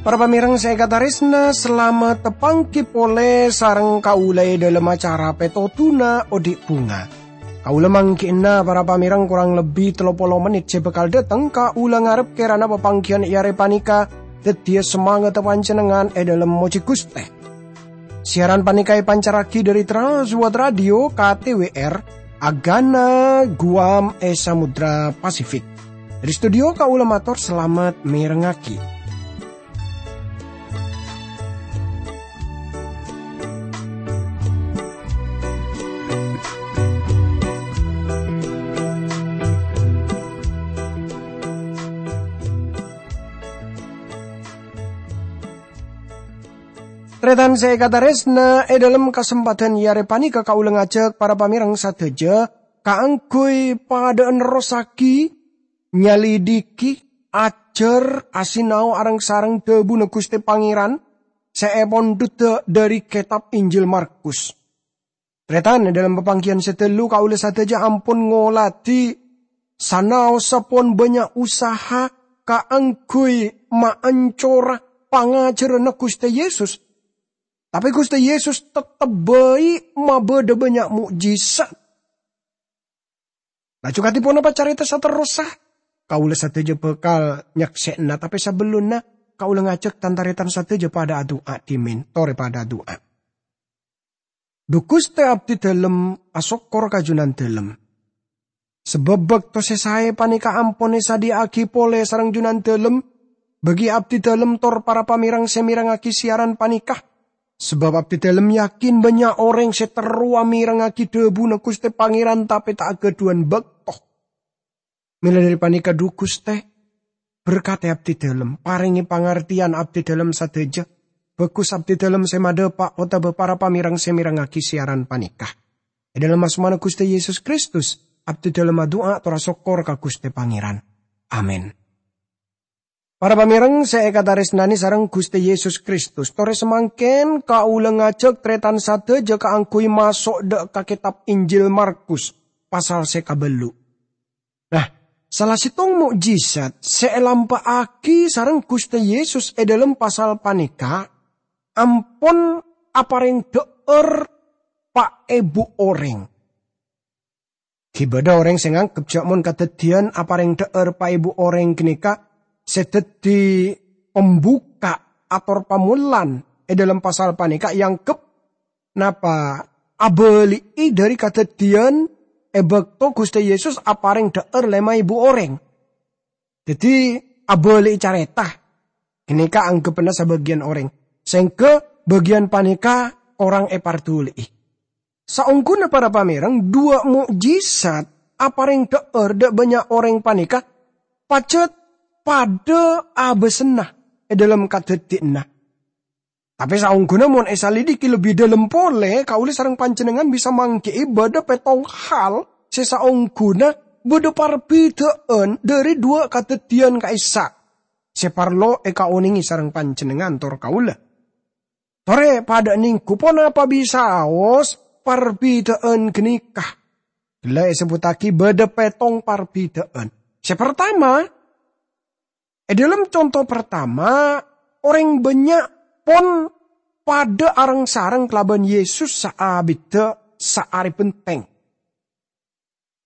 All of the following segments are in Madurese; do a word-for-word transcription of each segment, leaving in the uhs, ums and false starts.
Para pamèrèng sè èkatarèsna, salamet tapangghi polè sareng kaulâ è dhâlem acara Pètodhuna Odi' Bhunga. Kaulâ mangghi'na para pamèrèng korang lebbi tello polo mennit sè bhâkal dâteng, kaulâ ngarep kèrana papangghiyân è arè panèka dhâddhiyâ samangatta panjhennengngan è dhâlem mojhi Ghustè. Siaran panèka èpancarraghi dhâri Trans World Radio K T W R, Agana, Guam è Samudra Pasifik. Dhâri studio kaulâ mator salamet mèrengngaghi. Tarètan sè èkatarèsna, è dhâlem kasempadhân è arè panèka kaulâ ngajhâk para pamèrèng sadhâjâ kaangghuy padâ nerrossaghi, nyalidiki, ajhâr, asinao areng-sareng dhâbuna Ghustè Pangèran sè èpondhudhâ dhâri kètab Injil Markus. Tarètan, è dhâlem papangghiyân sè ghâllu kaulâ sadhâjâ ampon ngoladhi sanaossa pon bânnya' usaha kaangghuy maancora pangajhârânna Ghustè Yesus. Tapè Ghustè Yesus teptep bhâi mabâdâ bânnya' mo'jizat. Laju kadhi ponapa carèta saterrossa? Kaulâ sadhâjâ bhâkal nyaksè'ana, tapè sabellunna kaulâ ngajhâk tan-tarètan sadhâjâ padâ adu'a dhimèn, torè padâ adu'a. Dhu Ghustè, abdhi dhâlem asokkor ka Junandhâlem. Sabâb bâkto sè saè panèka ampon èsadhiyâ'aghi polè sareng Junandhâlem, bagi abdhi dhâlem tor para pamèrèng sè mèrengngaghi siaran panèka. Sabâb abdhi dhâlem yakin bânnya' orèng sè terro amèrengngaghi dhâbuna Ghustè Pangèran tapè ta' aghâdhuwân bâkto. Mèla dhâri panèka, dhu Ghustè, berkatè abdhi dhâlem, parèngè pangartèyan abdhi dhâlem sadhâjâ, bhâghus abdhi dhâlem sè madhâpa' otabâ para pamèrèng sè mèrengngaghi siaran panèka. È dhâlem asmana Ghustè Yesus Kristus, abdhi dhâlem adu'a tor asokkor ka Ghustè Pangèran. Amin. Para pamèrèng sè èkatarèsnanè sareng Ghustè Yesus Kristus, torè samangkèn kaulâ ngajhâk tarètan sadhâjâ kaangghuy maso' dâ' ka kètab Injil Markus, pasal sè kabâllu'. Nah, sala sèttong mo'jizat sè èlampa'aghi sareng Ghustè Yesus è dhâlem pasal panèka ampon aparèng dhâ'âr pa' èbu orèng. Ghi' bâdâ orèng sè nganggep jâ' mon kadhâddhiyân aparèng dhâ'âr pa' èbu orèng ghânèka sè dhâddhi pembuka ator pamolan è dhâlem pasal panèka èanggep napa abâli'i dhâri kadhâddhiyân è bâkto Ghustè Yesus aparèng dhâ'âr lèma èbu orèng. Dhâddhi, abâli'i carèta. Ghânèka anggeppanna sabâgiyân orèng, sèngghâ bâgiyân panèka korang èparduli'i. Saongghuna para pamèrèng, duwâ' mo'jizat aparèng dhâ'âr dâ' bânnya' orèng panèka pajhât padâ abâsanna è dhâlem kadhâddhiyânna. Tapè saongghuna mon èsalidiki lebbi dhâlem polè, kaulâ sareng panjhennengngan bisa mangghi'i bâdâ pèttong hal sè saongghuna bâdâ parbidhâ'ân dhâri duwâ' kadhâddhiyân ka'issa' sè parlo èkaonèngè sareng panjhennengngan tor kaulâ. Torè padâ nèngghu ponapa bisaos parbidhâ'ân ghânèka. Ghellâ' èsebbhuttaghi bâdâ pèttong parbidhâ'ân. Sè partama, è dhâlem conto partama, orèng bânnya' pon padâ areng-sareng kalabân Yesus saabiddhâ saarè bhenteng.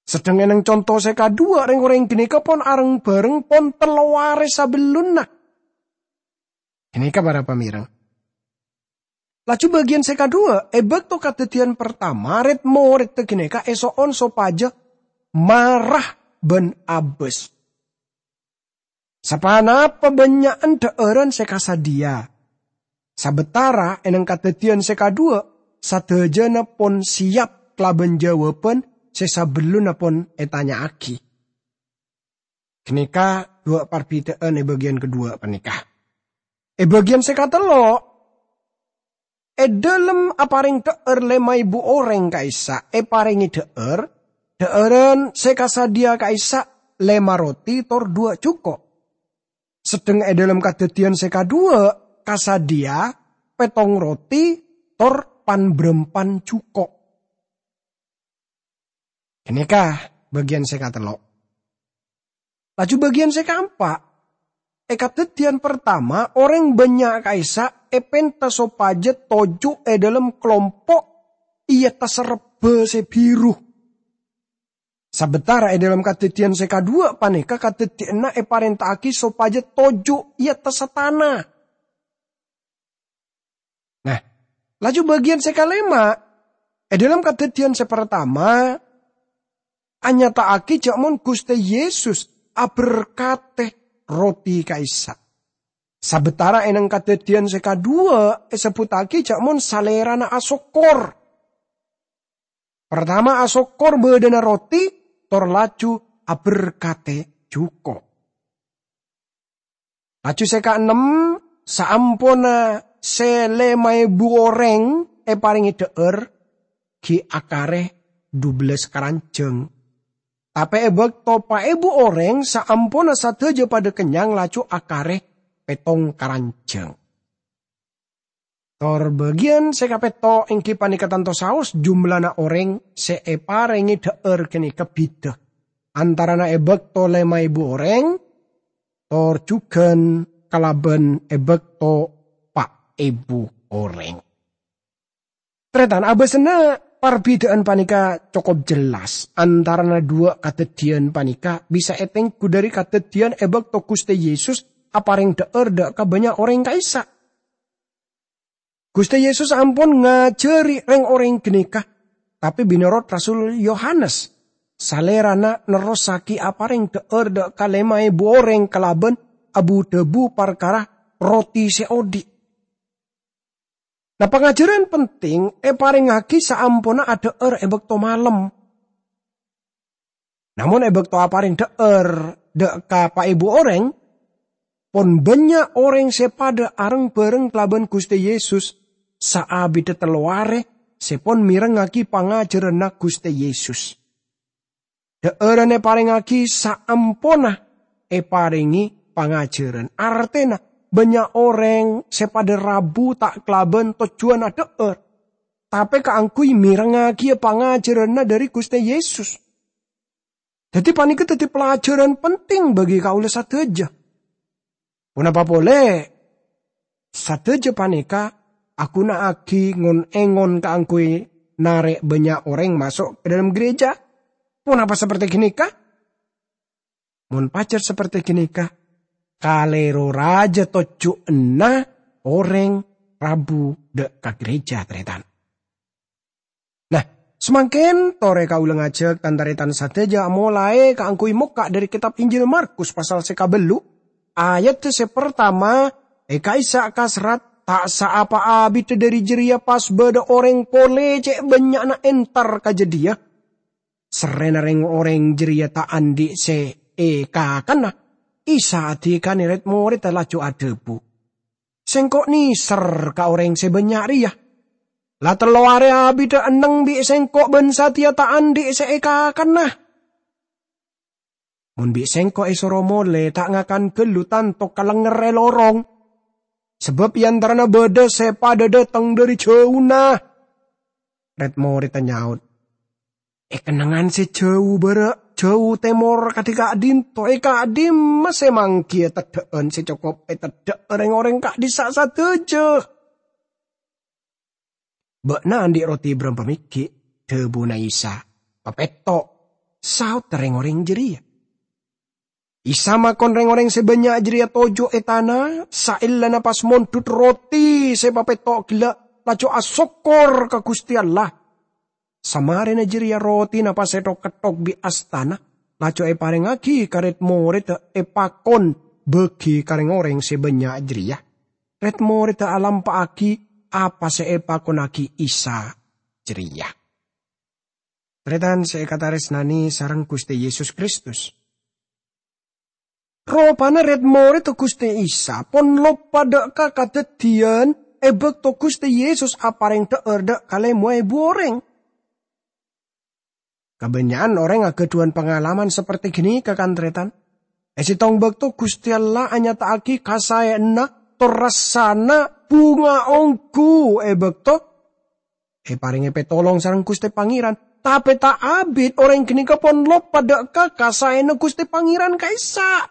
Sedheng è nèng conto sè kaduwâ', rèng-orèng ghânèka pon areng-bhâreng pon tello arè sabellunna. Ghânèka para pamèrèng. Laju bâgiyân sè kaduwâ', è bâkto kadhâddhiyân partama, rèd-morèdda ghânèka èso'on sopajâ mara bân abâs. Saponapa bânnya'an dhâ'ârân sè kasadhiyâ. Sabâtara è nèng kadhâddhiyân sè kaduwâ', sadhâjâna pon sèyap kalabân jâwâbhân sè sabellunna pon ètanya'aghi. Ghânèka duwâ' parbidhâ'ân è bâgiyân kaduwâ' panèka. È bâgiyân sè katello', è dhâlem aparèng dhâ'âr lèma èbu orèng ka'issa' èparèngè dhâ'âr, dhâ'ârân sè kasadhiyâ ka'issa' lèma roti tor duwâ' jhuko'. Sedheng è dhâlem kadhâddhiyân sè kaduwâ' kasadhiyâ pèttong roti, tor pan-bârâmpan jhuko'. Ghânèka bâgiyân sè katello'. Laju bâgiyân sè kaempa', è Kadhâddhiyân partama, orèng bânnya' ka'issa' èpènta sopajâ toju' è dhâlem kalompo' è attas rebbhâ sè bhiru. Sabâtara è dhâlem Kadhâddhiyân sè kaduwâ' panèka kadhâddhiyânna èparènta'aghi sopajâ toju' è attassa tana. Nah, laju bâgiyân sè kalèma', è dhâlem Kadhâddhiyân sè partama, anyata'aghi jâ' mon Ghustè Yesus aberkadhi roti ka'issa'. Sabâtara è nèng Kadhâddhiyân sè kaduwâ' èsebbhuttaghi jâ' mon Salèrana asokkor. Partama asokkor bâdâna roti, tor laju aberkadhi jhuko'. Laju sè kaennem, saamponna sè lèma èbu orèng èparèngè dhâ'âr, ghi' akarè dubellâs karanjhâng. Tapè è bâkto pa' èbu orèng saamponna sadhâjâ padâ kennyang, laju akarè pèttong karanjhâng. Tor bâgiyân sè kapètto' èngghi panèka tanto saos jumlana orèng sè èparèngè dhâ'âr ghânèka bhidhâ, antarana è bâkto lèma èbu orèng, tor jhughân kalabân è bâkto pa' èbu orèng. Tarètan, abâsana parbidhâ'ân panèka cokop jelas antarana duwâ' kadhâddhiyân panèka bisa ètengghu dhâri kadhâddhiyân è bâkto Ghustè Yesus aparèng dhâ'âr dâ' ka bânnya' orèng ka'issa'. Ghustè Yesus ampon ngajhâri rèng-orèng ghânèka, tapè mènorot Rasul Yohanes, Salèrana nerrossaghi aparèng dhâ'âr dâ' ka lèma èbu orèng kalabân abu-dhâbu parkara roti sè odi'. Nah, pangajhârân penting èparèngaghi saamponna adhâ'âr è bâkto malem. Namong è bâkto aparèng dhâ'âr dâ' ka pa' èbu orèng, pon bânnya' orèng sè padâ areng-bhâreng kalabân Ghustè Yesus saabidhâ tello arè sè pon mèrengngaghi pangajhârânna Ghustè Yesus. Dhâ'ârân èparèngaghi saamponna èparèngè pangajhârân. Artèna, bânnya' orèng sè padâ rabu ta' kalabân tojjhuwân adhâ'âr, tapè kaangghuy mèrengngaghi pangajhârânna dhâri Ghustè Yesus. Dhâddhi, panèka dhâddhi pelajaran penting bagi kaulâ sadhâjâ. Ponapa polè, sadhâjâ panèka aghuna'aghi ngon-èngon kaangghuy narè' bânnya' orèng maso' ka dâlem gereja. Ponapa saperte ghânèka? Mon pajhât saperte ghânèka, kalèro rajâ tojjhuwânna orèng rabu dâ' ka gereja, tarètan. Nah, samangkèn torè kaulâ ngajhâk tan-tarètan sadhâjâ amolaè kaangghuy mokka' dhâri kètab Injil Markus pasal sè kabellu', ayat sè partama, è ka'issa' kaserrat, "Ta' saapa abidhâ dhâri jârèya pas bâdâ orèng polè cè' bânnya'na entar ka jâdiyâ." Serrèna rèng-orèng jârèya ta' andi' sè èkakanna, Isa adhikana rèd-morèdda laju adhâbu, "Sèngko' nèser ka orèng sè bânnya' rèya. La tello arè abidhâ enneng bi' Sèngko' bân satèya ta' andi' sè èkakanna. Mon bi' Sèngko' èsoro molè ta' ngakan ghâllu tanto kalengngèrrè lorong, sabâb è antarana bâdâ sè padâ dâteng dhâri jhâuna." Rèd-morèdda nyaot, "È kennengngan sè jhâu bârâ', jhâu tèmor kadhi ka'dinto, è ka'dimma sè manggiyâ teddhâ'ân sè cokop èteddhâ'â rèng-orèng ka'dhissa' sadhâjâ?" "Bâ'na andi' roti bârâmpa mèghi'?" dhâbuna Isa. "Papètto'," saodda rèng-orèng jârèya. Isa makon rèng-orèng sè bânnya' jârèya toju' è tana, saellana pas mondhut roti sè papètto' ghellâ', laju asokkor ka Ghustè Allah. Samarèna jârèya rotina pas èthok-ketthok bi' astana, laju èparèngaghi ka rèd-morèdda èpakon bâgi ka rèng-orèng sè bânnya' jârèya. Rèd-morèdda alampa'aghi apa sè èpakonnaghi Isa jârèya. Tarètan sè èkatarèsnanè sareng Ghustè Yesus Kristus. Ropana rèd-morèdda Ghustè Isa pon loppa dâ' ka kadhâddhiyân è bâkto Ghustè Yesus aparèng dhâ'âr dâ' ka lèma èbu orèng. Kabânnya'an orèng aghâdhuwân pangalaman saperte ghânèka, kan, tarètan. È sèttong bâkto Ghustè Allah anyata'aghi kasaèyanna tor rassana bhunga ongghu e bakto eparèngè pètolong sareng Ghustè Pangèran. Tapè ta' abit orèng ghânèka pon loppa dhâ' ka kasaèna Ghustè Pangèran ka'issa'.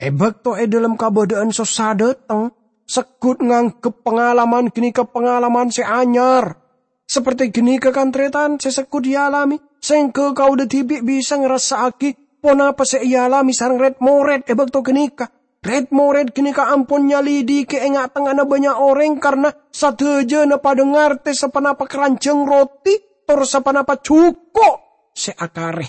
E bakto e dhâlem kabâdâ'ân sossa dhâteng, segghut nganggep pangalaman ghânèka pangalaman sè anyar. Saperti ghânèka, kan-tarètan sè segghut èalamè, sèngghâ kaulâ dhibi' bisa ngarassa'aghi ponapa sè èalamè sareng rèd-morèd e bakto ghânèka. Rèd-morèd ghânèka ampon nyalidhighi è nga'-tengnga'anna bânnya' orèng, karna sadhâjâna padâ ngartè saponapa karanjhâng roti tor saponapa jhuko' sè akarè.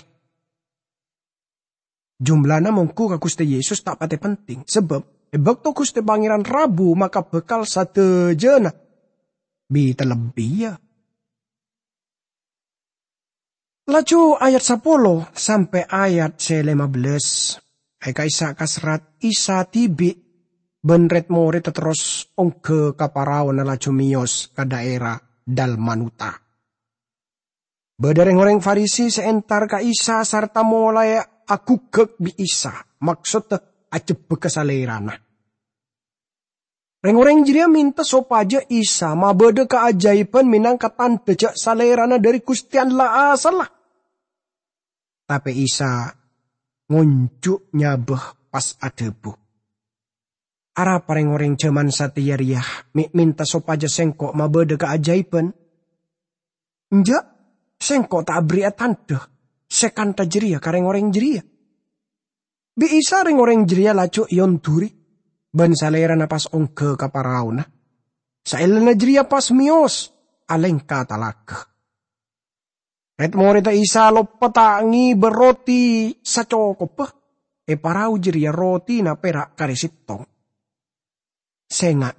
Jumlana mongghu ka Ghustè Yesus ta' patè penting, sabâb e bakto Ghustè Pangèran rabu maka bhâkal sadhâjâna bi-talebbiya. Laju ayat sapolo sampè' ayat sè lèma bellâs, è ka'issa' kaserrat Isa dhibi' bân rèd-morèdda terros ongghâ ka paraona laju mèyos ka dhaèra Dalmanuta. Bâdâ rèng-orèng Farisi sè entar ka Isa sarta molaè aghugghâk bi' Isa, maksoddhâ ajhebbhâghâ Salèrana. Rèng-orèng jârèya mènta sopajâ Isa mabâdâ kaajaibhân mènangka tandhâ jâ' Salèrana dhâri Ghustè Allah asalla. Tapè Isa ngonjhu' nyabâ, pas adhâbu, "Arapa rèng-orèng jhâman satèya rèya mè' mènta sopajâ Sèngko' mabâdâ kaajaibhân? Enjâ', Sèngko' ta' aberri'a tandhâ sè kantha jârèya ka rèng-orèng jârèya." Bi' Isa rèng-orèng jârèya laju èondhuri, bân Salèrana pas ongghâ ka paraona. Saellana jârèya pas mèyos alèngka talaga. Rèd-morèdda Isa loppa ta' ngèbâ roti sacokobbhâ. È parao jârèya rotina pèra' karè sèttong. "Sènga',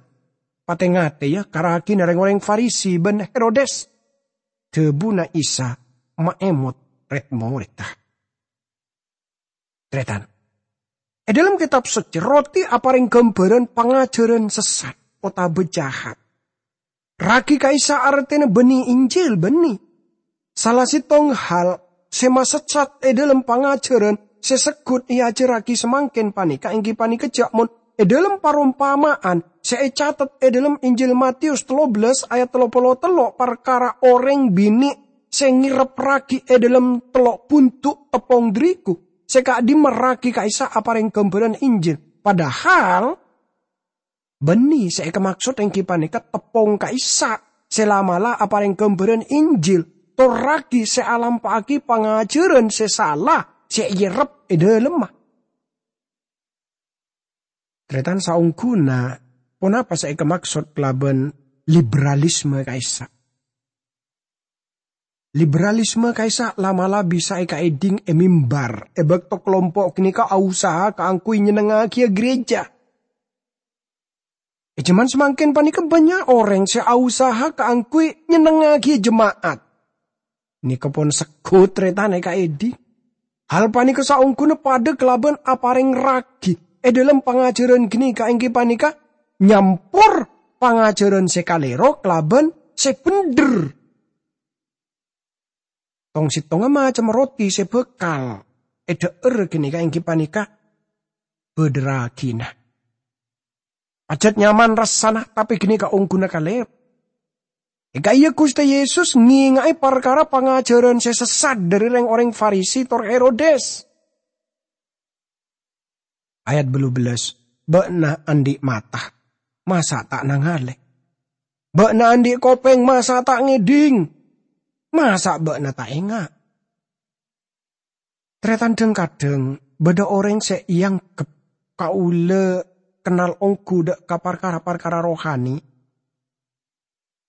patè-ngatè, yâ, ka ragina rèng-orèng Farisi bân Herodes," dhâbuna Isa maèmot rèd-morèdda. Tarètan, è dhâlem Kètab Soccè, roti aparèng ghâmbhârân pangajhârân sessat otabâ jahat. Ragi ka'issa' artèna bânnè Injil, bânnè. Sala sèttong hal sè masessat è dhâlem pangajhârân sè segghut èajhârraghi samangkèn panèka èngghi panèka jâ' mon è dhâlem parompama'an sè ècatet è dhâlem Injil Matius tello bellâs ayat tello polo tello' parkara orèng binè' sè ngèrrep ragi è dhâlem tello' bhundu' teppong dhârigu, sè ka'dimma ragi ka'issa' aparèng ghâmbhârân Injil. Padahal, bânnè sè èkamaksod èngghi panèka teppong ka'issa' sè la'-mala' aparèng ghâmbhârân Injil, tor ragi sè alampa'aghi pangajhârân sè sala sè èèrrep è dhâlemma. Tarètan saongghuna, ponapa sè èkamaksod kalabân liberalisme ka'issa'? Liberalisme ka'issa' la'-mala' bisa èkaèdhing è mimbar è bâkto kalompo' ghânèka ausaha kaangghuy nyennengngaghiyâ ghârèjâ. È jhâman samangkèn panèka bânnya' orèng sè ausaha kaangghuy nyennengngaghiyâ jema'at. Nèka pon segghut tarètan èkaèdhing. Hal panèka saongghuna padâ kalabân aparèng ragi è dhâlem pangajhârân ghânèka èngghi panèka nyampor pangajhârân sè kalèro kalabân sè bhendher. Tong-sèttongnga macemma roti sè bhâkal èdhâ'âr ghânèka èngghi panèka bâdâ ragina. Pajhât nyaman rassana, tapè ghânèka ongghuna kalèro. È ka'iyâ Ghustè Yesus ngènga'è parkara pangajhârân sè sessat dhâri rèng-orèng Farisi tor Herodes. Ayat bâllu bellâs, "Bâ'na andi' mata, masa' ta' nangalè? Bâ'na andi' kopèng, masa' ta' ngèdhing? Masa' bâ'na ta' enga'?" Tarètan, dhâng-kadhâng bâdâ orèng sè èangghep kaulâ kennal ongghu dhâ' ka parkara-parkara rohani.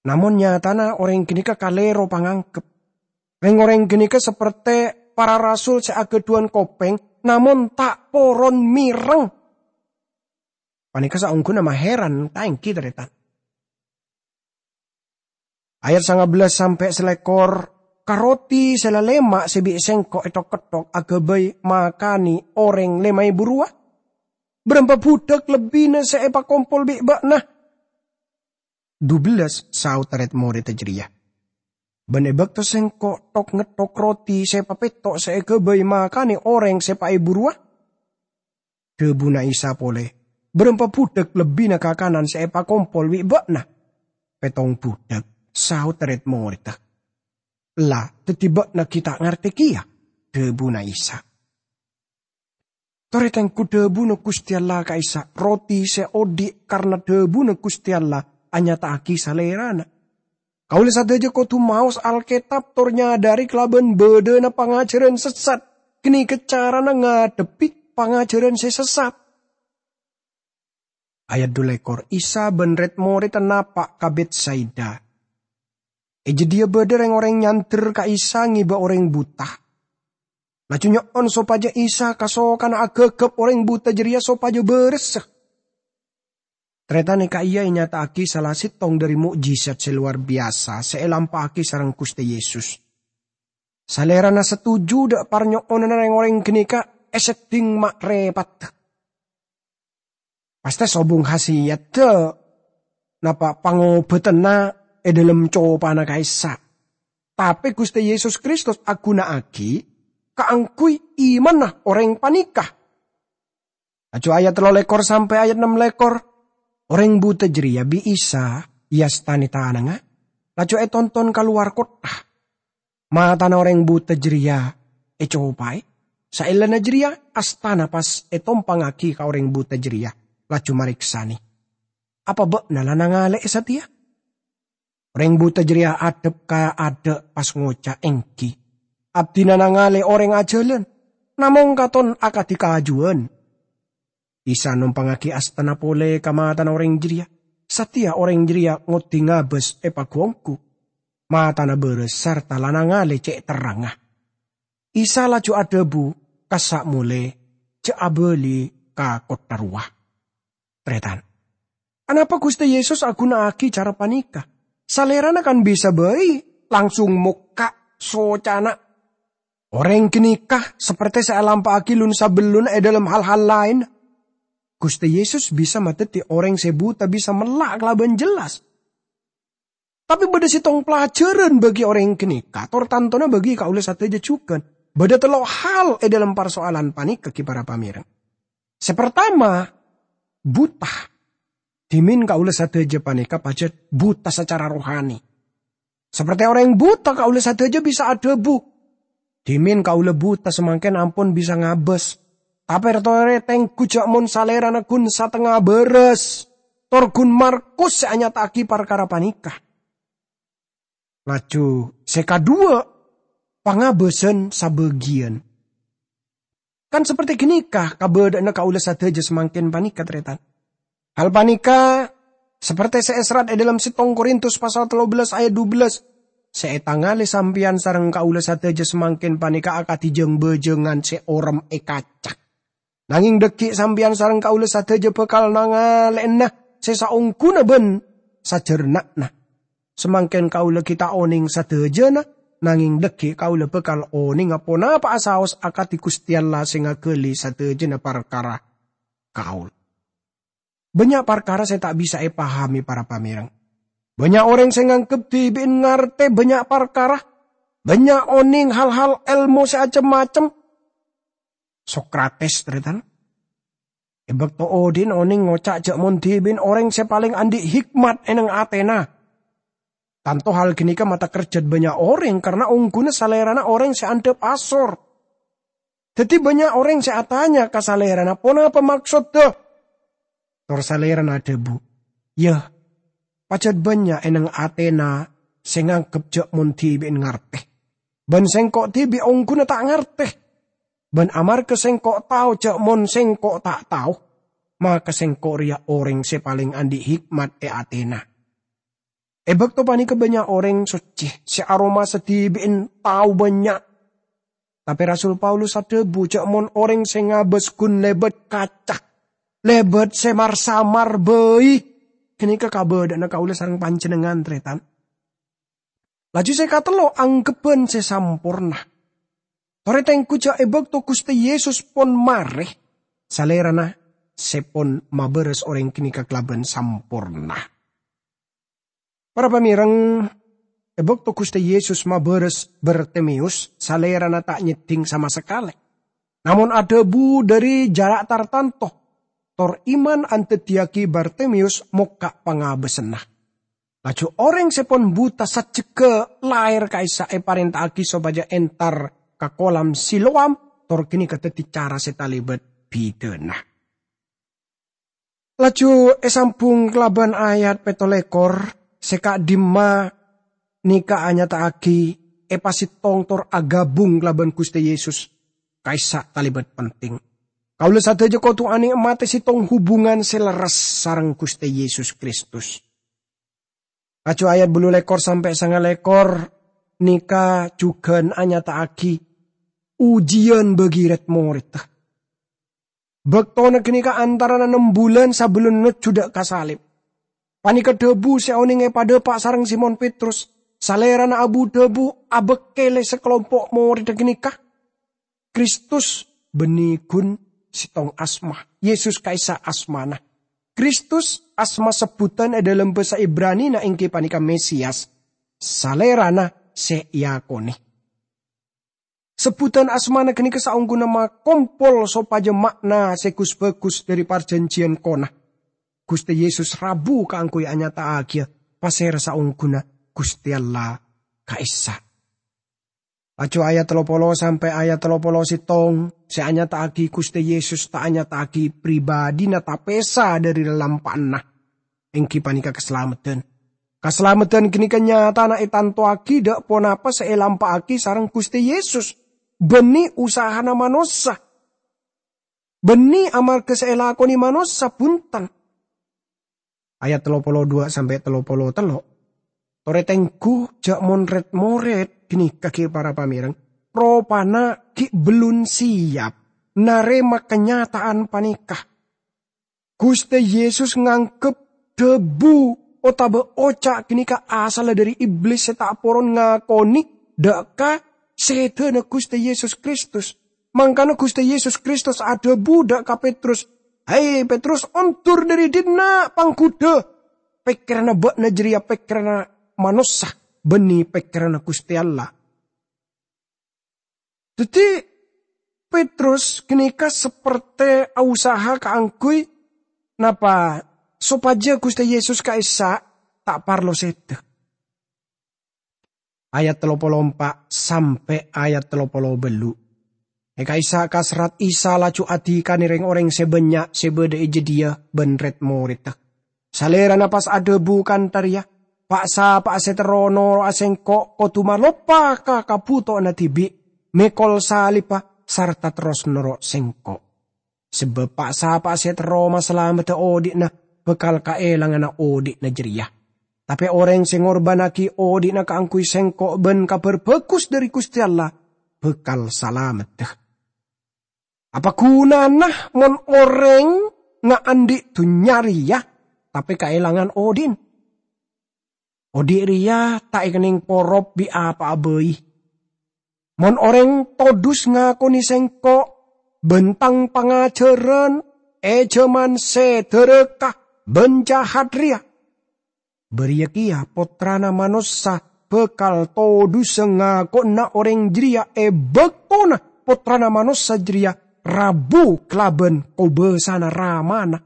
Namong nyatana orèng ghânèka kalèro pangangghep. Rèng-orèng ghânèka sapertè para rasul sè aghâdhuwân kopèng, namong ta' poron mèreng. Panèka saongghuna mahèran, ta' ènggi, tarètan? Ayat sanga bellâs sampè' salèkor, "Ka roti sè lalèma' sè bi' Sèngko' èthok-ketthok aghâbây makanè orèng lèma èbu rowa? Bârâmpa budhâk lebbina sè èpakompol bi' bâ'na?" "Dubellâs," saodhâ rèd-morèdda jârèya. "Bân è bâkto Sèngko' thok-ngetthok roti sè papètto' sè èghâbây makanè orèng sè paèbu rowa?" Dhâbuna Isa polè, Bârâmpa budhâk lebbina kakanan sè èpakompol bi' bâ'na?" "Pèttong budhâk," saodda rèd-morèdda. "La, dhâddhi bâ'na ghi' ta' ngartè kèya?" dhâbuna Isa. Torè tengghu dhâbuna Ghustè Allah ka'issa', roti sè odi' karna dhâbuna Ghustè Allah anyata'aghi Salèrana. Kaulâ sadhâjâ kodhu maos Alkètab tor nyadhâri kalabân bâdâna pangajhârân sessat. Ghânèka carana ngadhebbhi pangajhârân sè sessat. Ayat dhu lèkor, Isa bân rèd-morèdda napa' ka Bètsaida. È jâdiyâ bâdâ rèng-orèng nyandher ka Isa ngèbâ orèng buta. Laju nyo'on sopajâ Isa kasokana aghâghâp orèng buta jârèya sopajâ bârâssa. Tarètan è ka'iyâ ènyata'aghi sala sèttong dhâri mo'jizat sè lowar biyasa sè èlampa'aghi sareng Ghustè Yesus. Salèrana satoju dâ' parnyo'onanna rèng-orèng ghânèka èseddhing ma'-rèpadhâ. Pastè sobung khasiyaddhâ napa pangobâdhânna è dhâlem copana ka'issa'. Tapè Ghustè Yesus Kristus aghuna'aghi kaangghuy imanna orèng panèka. Laju ayat tello lèkor sampè' ayat nem lèkor, orèng buta jârèya bi' Isa èastanè tanangnga, laju ètonton ka lowar kottha. Matana orèng buta jârèya ècopaè. Saellana jârèya, astana pas ètompangngaghi ka orèng buta jârèya, laju marèksanè, "Apa bâ'na la nangalè'è satèya?" Orèng buta jârèya adhep ka adâ' pas ngoca', "Èngghi, abdhina nangalè orèng ajhâlân, namong katon akadhi kajuwân." Isa nompangngaghi astana polè ka matana orèng jârèya. Satèya orèng jârèya ngoddi ngabâs è pagu-ongghu. Matana bârâs sarta la nangalè cè' terrangnga. Isa laju adhâbu, "Kassa' molè, jhâ' abâli ka kottha rowa." Tarètan, anapa Ghustè Yesus aghuna'aghi cara panèka? Salèrana kan bisa bhâi langsung mokka' socana. Orèng ghânèka saperte sè èlampa'aghi lun-sabellunna è dhâlem hal-hal laèn. Ghustè Yesus bisa madhâddhi orèng sè buta bisa mella' kalabân jelas. Tapè bâdâ sèttong pelajaran bagi orèng ghânèka, tor tantona bagi kaulâ sadhâjâ jhughân. Bâdâ tello' hal è dhâlem parsoalan panèka, ghi para pamèreng. Sè partama, buta. Dhimèn kaulâ sadhâjâ panèka pajhât buta sacara rohani. Saperte orèng buta, kaulâ sadhâjâ bisa adhâbu, "Dhimèn kaulâ buta, samangkèn ampon bisa ngabâs." Tapè torè tengghu jhâ' mon Salèrana ghun satengnga bârâs, tor ghun Markus sè anyata'aghi parkara panèka. Laju sè kaduwâ', pangabâsan sabâgiyân. Kan saperte ghânèka kabâdâ'ânna kaulâ sadhâjâ samangkèn panèka, tarètan. Hal panèka saperte sè èserrat è dhâlem sèttong Korintus pasal tello bellas ayat dubellâs, "Sè ètangalè sampèyan sareng kaulâ sadhâjâ samangkèn panèka akadhi jâng-bâjângan sè orèm è kaca. Nangèng dhâggi' sampèyan sareng kaulâ sadhâjâ bhâkal nangalè'ana sè saongghuna bân sajhârna'na. Samangkèn kaulâ ghi' ta' onèng sadhâjâna, nangèng dhâggi' kaulâ bhâkal onènga ponapa'a saos akadhi Ghustè Allah sè ngaghâli sadhâjâna parkara kaulâ." Bânnya' parkara sè ta' bisa èpahamè, para pamèreng. Bânnya' orèng sè nganggep dhibi'en ngartè bânnya' parkara, bânnya' onèng hal-hal èlmo sè cem-macem. Sokrates, tarètan, è bâkto odi'na onèng ngoca' jhâ' mon dhibi'en orèng sè palèng andi' hikmat è neng atèna. Tanto hal ghânèka matakerjhât bânnya' orèng, karna ongghuna salèrana orèng sè andhâp asor. Dhâddhi bânnya' orèng sè atanya ka salèrana, "Ponapa maksoddhâ?" Tor salèrana adhâbu, "Yâ, pajhât bânnya' è neng atèna sè nganggep jhâ' mon dhibi'en ngartè. Bân sèngko' dhibi' ongghuna ta' ngartè. Bân amarghâ sèngko' tao jhâ' mon sèngko' ta' tao, maka sèngko' rèya orèng sè palèng andi' hikmat è atèna." È bâkto panèka bânnya' orèng soccè sè aromasa dhibi'en tao bânnya'. Tapè Rasul Paulus adhâbu jhâ' mon orèng sè ngabâs ghun lèbât kaca, lèbât sè mar-samar bhâi. Ghânèka kabâdâ'ânna kaulâ sareng panjhennengngan, tarètan. Laju sè katello', anggheppan sè samporna. Torè tengghu jhâ' è bâkto Ghustè Yesus pon marè, Salèrana sè pon mabârâs orèng ghânèka kalabân samporna. Para pamèreng, è bâkto Ghustè Yesus mabârâs Bartimeyus, Salèrana ta' nyeddhing sama sakalè. Namong adhâbu dhâri jhârâ' tartanto. tor iman andaddiyagi Bartimeus mokka' pangabâsânna. Laju orèng sè pon buta sajjhegghâ laèr ka'issa' èparènta'aghi sopajâ entar ka kolam Siloam, tor ghânèka dhâddhi cara sè talèbât bidhâna. Laju èsambhung kalabân ayat pètto lèkor, sè ka'dimma nèka anyata'aghi èpasèttong tor aghâbung kalabân Ghustè Yesus ka'issa' talèbât penting. Kaulâ sadhâjâ kodhu anè'matè sèttong hubungan sè lerres sareng Ghustè Yesus Kristus. Laju ayat bâllu lèkor sampè' sanga lèkor nèka jhughân anyata'aghi ujiyân bagi rèd-morèdda. Bâktona ghânèka antarana nem bulân sabellunna nojjhu dâ' ka salib. Panèka dhâbu sè onèng èpadhâpa' sareng Simon Petrus. Salèrana abu-dhâbu abâkkèlè sakalompo' morèdda ghânèka. Kristus bânnè ghun sèttong asma. Yesus ka'issa' asmana. Kristus asma sebbhudhân è dhâlem bhâsa Ibranina èngghi panèka Mesias, Salèrana sè èakonè. Sebbhudhân asmana ghânèka saongghuna makompol sopajâ ma'na sè gus-bhâgus dhâri parjhânjhiyân kona. Ghustè Yesus rabu kaangghuy anyata'aghiyâ pasèra saongghuna Ghustè Allah ka'issa'. Laju ayat tello polo sampè' ayat tello polo sèttong sè anyata'aghi Ghustè Yesus ta' anyata'aghi pribadhina tapèsa dhâri lalampa'anna, èngghi panèka kasalameddhân. Kasalameddhân ghânèka nyatana ètantowaghi dâ' ponapa sè èlampa'aghi sareng Ghustè Yesus, bânnè usahana manossa. Bânnè amarghâ sè èlakonè manossa, bhunten. Ayat tello polo duwâ' sampè' tello polo tello'. Torè tengghu jâ' mon rèd-morèd ghânèka ghi' para pamèreng, ropana ghi' bellun siyap narèma kanyata'an panèka. Ghustè Yesus nganggep dhâbu otabâ oca' ghânèka asalla dhâri Iblis sè ta' poron ngakonè dâ' ka sèdhâna Ghustè Yesus Kristus. Mangkana Ghustè Yesus Kristus adhâbu dâ' ka Petrus, "He, Petrus, ondur dhâri dinna', pangghudhâ! Pèkkèranna bâ'na jârèya pèkkèranna manossa, bânnè pèkkèranna Ghustè Allah." Dhâddhi, Petrus ghânèka sapertè ausaha kaangghuy napa? Sopajâ Ghustè Yesus ka'issa' ta' parlo sèdhâ. Ayat tello polo empa' sampè' ayat tello polo bâllu'. È ka'issa' kaserrat Isa laju adhikanè rèng-orèng sè bânnya' sè bâdâ è jâdiyâ bân rèd-morèdda. Salèrana pas adhâbu kantha rèya, "Pa'-sapa'a sè terro noro'a Sèngko' kodhu maloppa ka kabhutowanna dhibi', mèkol salibbhâ, sarta terros noro' Sèngko'. Sabâb pa'-sapa'a sè terro masalameddhâ odhi'na bhâkal kaèlanganna odhi'na jârèya. Tapè orèng sè ngorbhânnaghi odhi'na kaangghuy Sèngko' bân Kabhâr Bhâghus dhâri Ghustè Allah bhâkal salameddhâ. Apa ghunana mon orèng ngaandhi' dhunnya rèya, tapè kaèlangan odhi'na? Odhi' rèya ta' èkennèng porop bi' apa'a bhâi. Mon orèng todus ngakonè Sèngko' bân Tang pangajhârân è jhâman sè dhârâka bân jahat rèya, bâriyâ kèya Pottrana Manossa bhâkal todusa ngako'na orèng jârèya è bâktona Pottrana Manossa jârèya rabu kalabân kobâsana Ramana,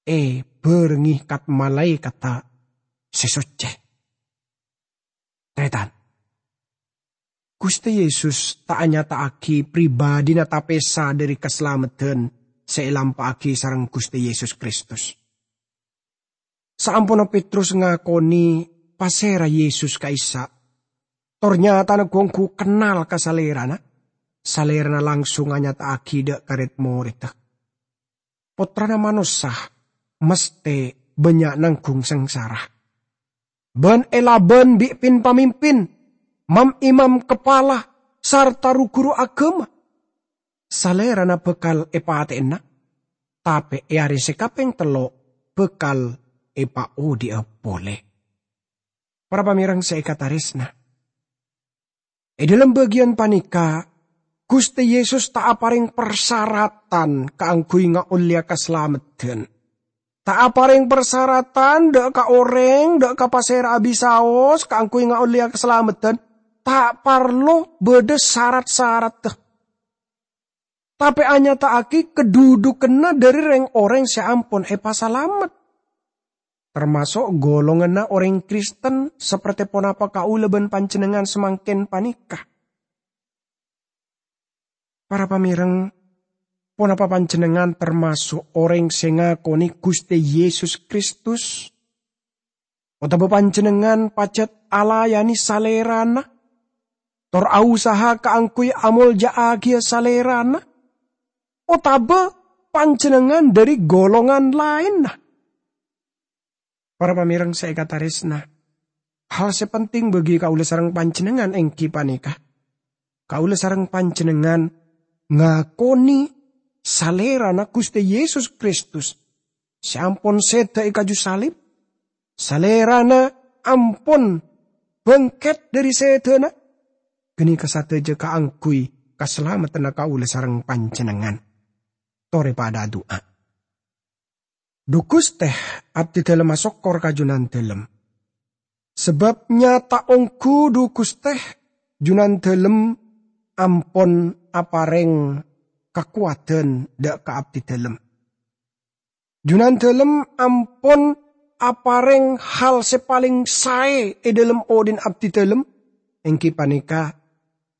èbhârengngè kat-malaèkatta sè soccè." Tarètan, Ghustè Yesus ta' anyata'aghi pribadhina tapèsa dhâri kasalameddhân sè èlampa'aghi sareng Ghustè Yesus Kristus. Saamponna Petrus ngakonè pasèra Yesus ka'issa', tor nyatana ghu-ongghu kennal ka Salèrana, Salèrana langsung anyata'aghi dâ' ka rèd-morèdda, "Pottrana Manossa mastè bânnya' nangghung sangsara. Bân èlabân bi' pin-pamimpin, mam-imam kapala, sarta ru-ghuru aghâma. Salèrana bhâkal èpatè'ana, tapè è arè sè kapèng tello' bhâkal èpaodhi'a polè." Para pamèreng sè èkatarèsna, è dhâlem bâgiyân panèka, Ghustè Yesus ta' aparèng parsaratan kaangghuy ngaollèya kasalameddhân. Ta' aparèng parsaratan dâ' ka orèng, dâ' ka pasèra abisaos kaangghuy ngaollèya kasalameddhân, ta' parlo bâdâ sarat-saratta. tapè anyata'aghi kadhudhukanna dhâri rèng-orèng sè ampon èpasalamet, tamaso' golonganna orèng Kristen saperte ponapa kaulâ bân panjhennengngan samangkèn panèka. Para pamèreng, ponapa panjhennengngan tamaso' orèng sè ngakonè Ghustè Yesus Kristus? Otabâ panjhennengngan pajhât alayanè Salèrana, tor ausaha kaangghuy amolja'aghiyâ Salèrana? Otabâ panjhennengngan dhâri golongan laènna? Para pamèreng sè èkatarèsna, hal sè penting bagi kaulâ sareng panjhennengngan èngghi panèka, kaulâ sareng panjhennengngan ngakonè Salèrana Ghustè Yesus Kristus sè ampon sèda è kaju salib. Salèrana ampon bângkèt dhâri sèdâna. Ghânèka sadhâjâ kaangghuy kasalameddhânna kaulâ sareng panjhennengngan. Torè padhâ adu'a. Dhu Ghustè, abdhidhâlem asokkor ka Junandhâlem. Sabâb nyata ongghu, dhu Ghustè, Junandhâlem ampon aparèng kakowadhân dhâ' ka abdhidhâlem. Junandhâlem ampon aparèng hal sè palèng saè è dhâlem odhi'na abdhidhâlem, èngghi panèka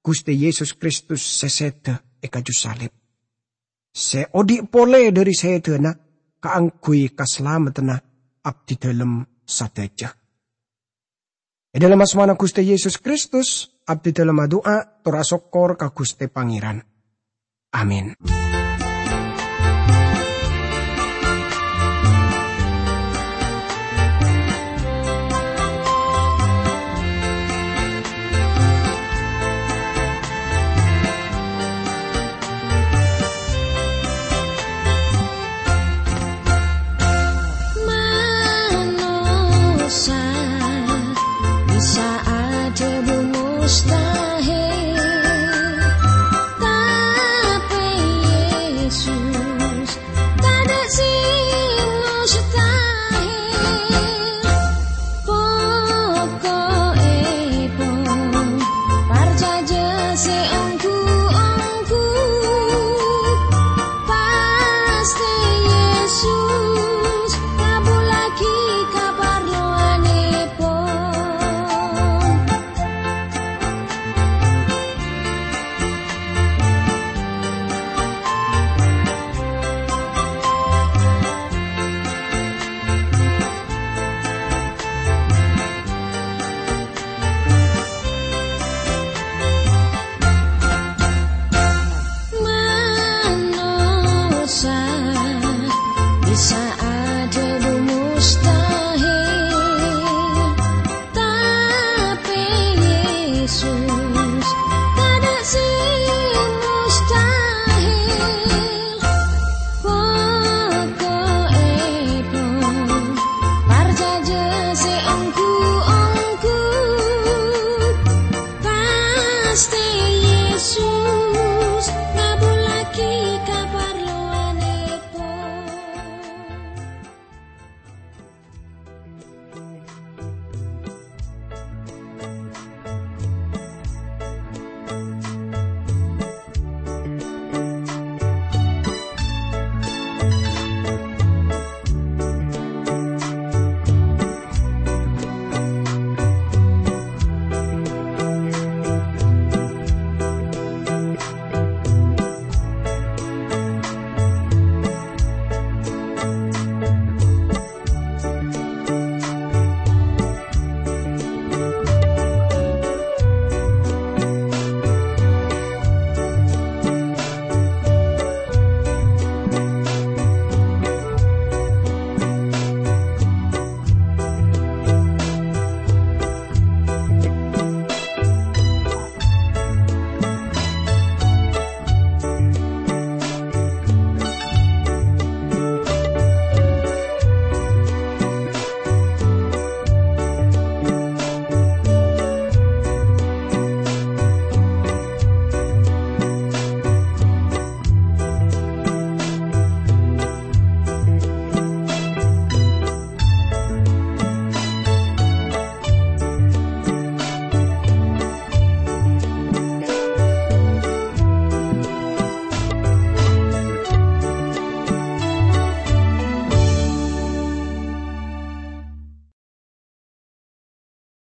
Ghustè Yesus Kristus sè sèda è kaju salib, sè odhi' polè dhâri sèdâna kaangghuy kasalameddhânna abdhidhâlem sadhâjâ. È dhâlem asmana Ghustè Yesus Kristus, abdhidhâlem adu'a tor asokkor ka Ghustè Pangèran. Amin.